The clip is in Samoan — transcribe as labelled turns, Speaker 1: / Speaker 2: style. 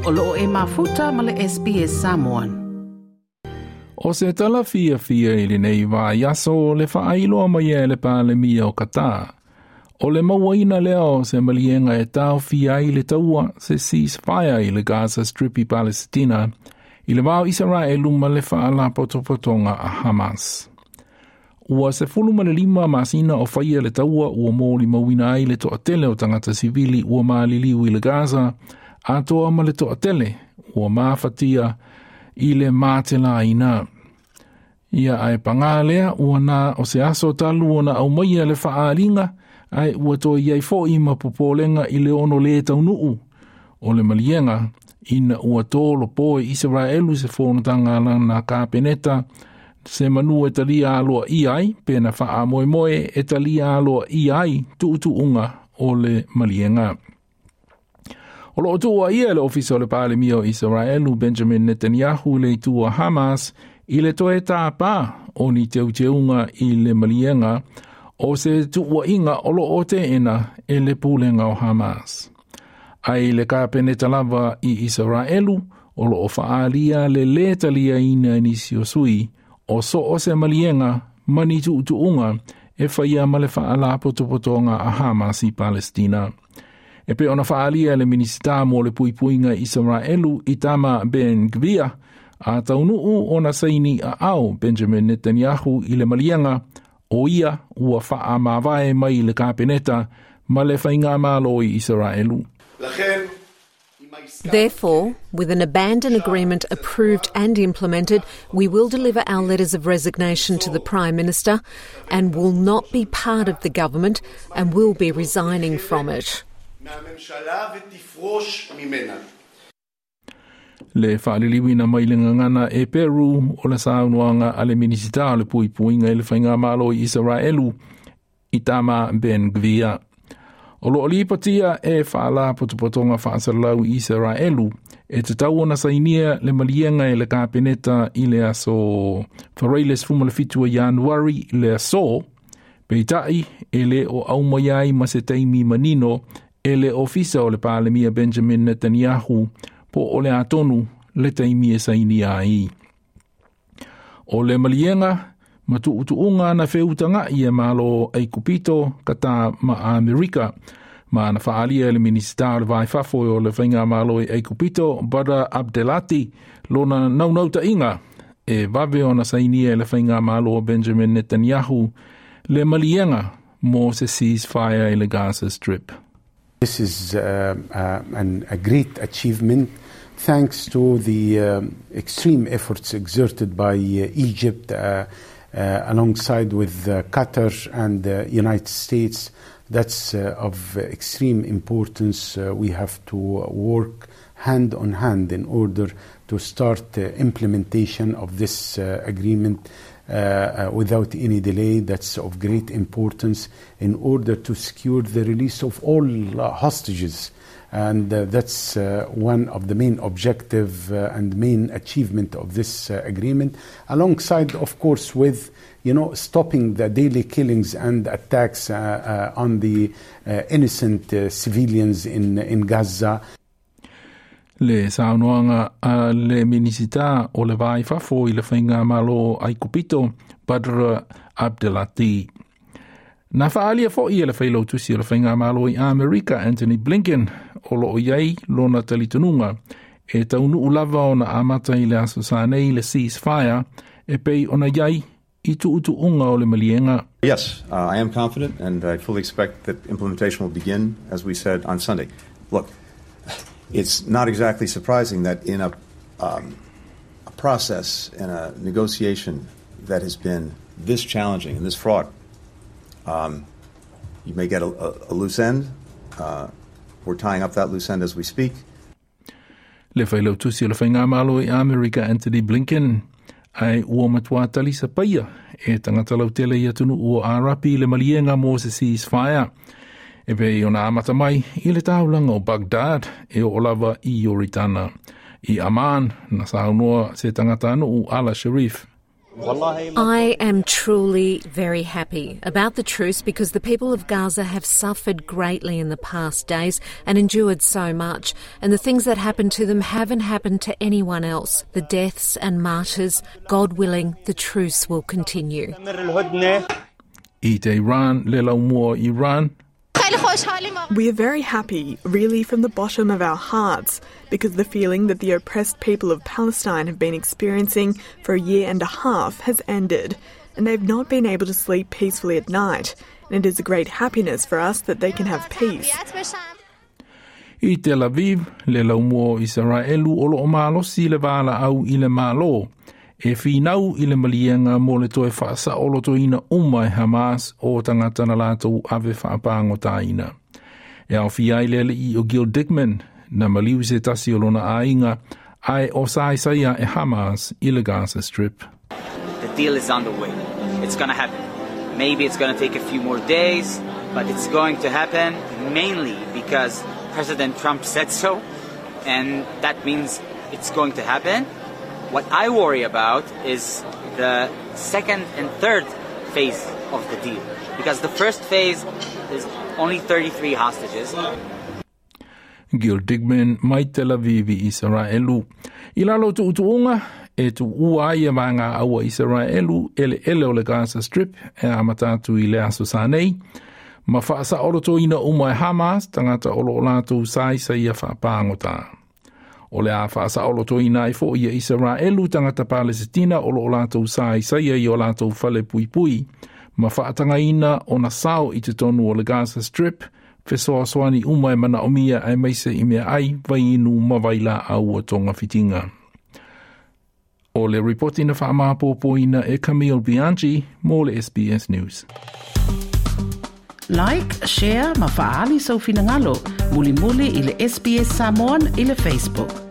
Speaker 1: O loo e mafuta ma le SBS Samoan.
Speaker 2: O se tala fiafia i lenei vaiaso le faailoa mai e le Palemia o Qatar. O le mauaina lea o se maliega e taofia ai le taua se ceasefire i le Gaza Strip i Palesitina i le va o Isaraelu ma le faalapotopotoga a Hamas. Ua 15 masina o faia le taua ua molimauina ai le toatele o tagata sivili ua maliliu i le Gaza, atoa ma le toatele ua mafatia i le matelaina. Ia ae pagā lea ua na o se aso talu ona aumaia le faaaliga ae ua toe i ai fo'i ma popolega i le ono lē taunuu o le maliega ina ua tolopo e Isaraelu se fonotaga a lana Kapeneta se manu e talia aloaia ai pe na faamoemoe e talia aloaia ai tuutuuga o le maliega. O loo tuuaia e le ofisa o le Palemia o Isaraelu Benjamin Netanyahu le itu a Hamas i le toe tāpā o ni teuteuga i le maliega o se tuuaiga o loo teena e le pulega o Hamas. Ae i le Kapeneta lava i Isaraelu o loo faaalia le lē taliaina e nisi o sui o so o se maliega ma ni tuutuuga e faia ma le faalapotopotoga a Hamas i Palestina. E pei ona faaalia e le Minisita mo le Puipuiga i Isaraelu Itamar Ben Gvir a taunuu ona saini aao Benjamin Netanyahu i le maliega o ia ua faamavae mai le Kapeneta ma le faigamalo i Isaraelu.
Speaker 3: Therefore, with an abandon agreement approved and implemented, we will deliver our letters of resignation to the Prime Minister and will not be part of the government and will be resigning from it.
Speaker 2: Le faaliliuina mai le gagana Eperu o le saunoaga a le Minisita o le Puipuiga i le Faigamalo i Isaraelu Itamar Ben Gvir. O loo lipotia e faalapotopotoga faasalalau i Isaraelu e tatau ona sainia le maliega e le Kapeneta i le aso Faraile 17 o Ianuari le aso, peitai e le o aumaia ai ma se taimi manino e le ofisa o le Palemia Benjamin Netanyahu po o le a tonu le taimi e sainia ai. O le maliega ma tuutuuga na feutaga'i e Malo Aikupito, Qatar ma Amerika. Ma na faaalia e le Minisita o le Va i Fafo o le Faigamalo i Aikupito, Badr Abdelatty, lona naunautaiga e vave ona sainia e le Faigamalo o Benjamin Netanyahu le maliega mo se ceasefire i le Gaza Strip.
Speaker 4: This is a great achievement thanks to the extreme efforts exerted by Egypt alongside with Qatar and the United States. That's of extreme importance. We have to work hand on hand in order to start implementation of this agreement without any delay. That's of great importance in order to secure the release of all hostages. And that's one of the main objective and main achievement of this agreement, alongside, of course, with stopping the daily killings and attacks on the innocent civilians in Gaza.
Speaker 2: Le saunoaga a le Minisita o le Va i Fafo i le Faigamalo Aikupito, Badr Abdelatty. Na faaalia fo'i e le failautusi o le Faigamalo i Amerika Antony Blinken o loo i ai lona talitonuga e taunuu lava ona amata i le aso Sa nei le ceasefire e pei ona i ai i tuutuuga o le maliega.
Speaker 5: Yes, I am confident and I fully expect that implementation will begin, as we said, on Sunday. Look, it's not exactly surprising that in a process and a negotiation that has been this challenging and this fraught, you may get a loose end. We're tying up that loose end as we speak.
Speaker 2: Le failautusi o le Faigamalo i Amerika Antony Blinken ae ua matuā talisapaia e tagata lautele i atunuu o Arapi le maliega mo se ceasefire. E pei ona amata mai i le taulaga o Baghdad e oo lava i Ioritana. I Amman na saunoa se tagatanuu Ala Sharif.
Speaker 3: I am truly very happy about the truce because the people of Gaza have suffered greatly in the past days and endured so much. And the things that happened to them haven't happened to anyone else. The deaths and martyrs, God willing, the truce will continue.
Speaker 2: I Tehran, le laumua Iran.
Speaker 6: We are very happy, really from the bottom of our hearts, because the feeling that the oppressed people of Palestine have been experiencing for a year and a half has ended, and they've not been able to sleep peacefully at night. And it is a great happiness for us that they can have peace.
Speaker 2: I Tel Aviv, le laumua o Isaraelu o loo malosi le valaau i le Malo e finau i le maliega mo le toe faasaolotoina uma e Hamas o tagata na latou ave faapagotaina. E aofia ai le alii o Gil Dickman, na maliu se tasi o lona aiga, ae o sa aisaia e Hamas i le Gaza Strip.
Speaker 7: The deal is on the way. It's gonna happen. Maybe it's gonna take a few more days, but it's going to happen mainly because President Trump said so, and that means it's going to happen. What I worry about is the second and third phase of the deal, because the first phase is only 33 hostages.
Speaker 2: Gil Digman mai Tel Aviv i Isaraelu. I lalo o tuutuuga, e tuua ai e vaega au a Isaraelu eleele o le Gaza Strip e amata atu i le aso sa nei, ma faasaolotoina uma e Hamas tagata o loo latou saisaia faapagota. O le a faasaolotoina ai foi e Isaraelu tagata Palesitina o loo latou saisaia i o latou fale puipui, ma faatagaina ona sao i totonu o le Gaza Strip, fesoasoani uma e manaomia aemaise i meaai, vaiinu ma vailaau ua togafitiga. O le ripoti na faamapopoina e Camille Bianchi mo le SBS News.
Speaker 1: Like, share ma faaali sou finagalo. Mulimuli i le SBS Samoan i le Facebook.